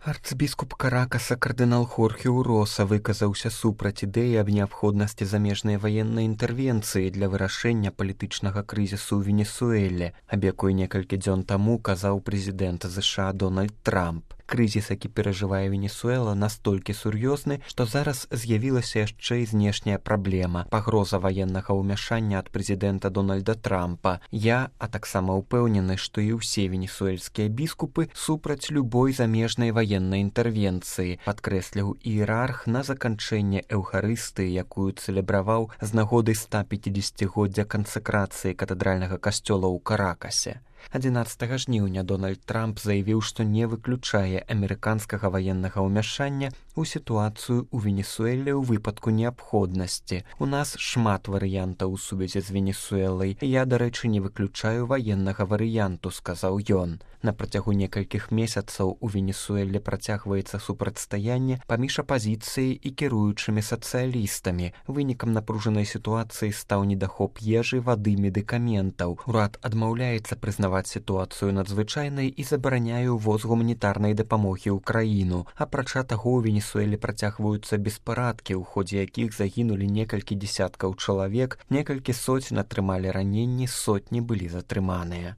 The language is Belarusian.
Арцбіскуп Каракаса кардынал Хорхе Уроса выказаўся супраць ідэі аб неабходнасці замежнай ваеннай інтэрвенцыі для вырашэння палітычнага крызісу ў Венесуэле, аб якой некалькі дзён таму казаў прэзідэнт ЗША Дональд Трамп. Крызіс, які перажывае Венесуэла, настолькі сур'ёзны, што зараз з'явілася яшчэ і знешняя праблема – пагроза ваеннага ўмяшання ад прэзідэнта Дональда Трампа. Я, а таксама ўпэўнены, што і ўсе венесуэльскія біскупы супраць любой замежнай ваеннай інтэрвенцыі, падкрэсліў іерарх на заканчэнне эўхарыстыі, якую цэлебраваў з нагоды 150-годдзя кансакрацыі катэдральнага касцёла ў Каракасе. 11 жніўня Дональд Трамп заявіў, што не выключае амерыканскага ваеннага ўмяшання ў сітуацыю ў Венесуэле ў выпадку неабходнасці. У нас шмат варыянтаў у сувязі з Венесуэлай. Я, дарэчы, не выключаю ваеннага варыянту, сказаў ён. На працягу некалькіх месяцаў у Венесуэле працягваецца супрацьстаянне паміж апазіцыяй і кіруючымі сацыялістамі. Вынікам напружанай сітуацыі стаў недахоп ежы, вады, медыкаментаў. Урад адмаўляецца прызнаваць сітуацыю надзвычайнай і забараняе ўвоз гуманітарнай дапамогі ў краіну. Апрача таго, у Венесуэле працягваюцца беспарадкі, у ходзе якіх загінулі некалькі дзесяткаў чалавек, некалькі соцень атрымалі раненні, сотні былі затрыманыя.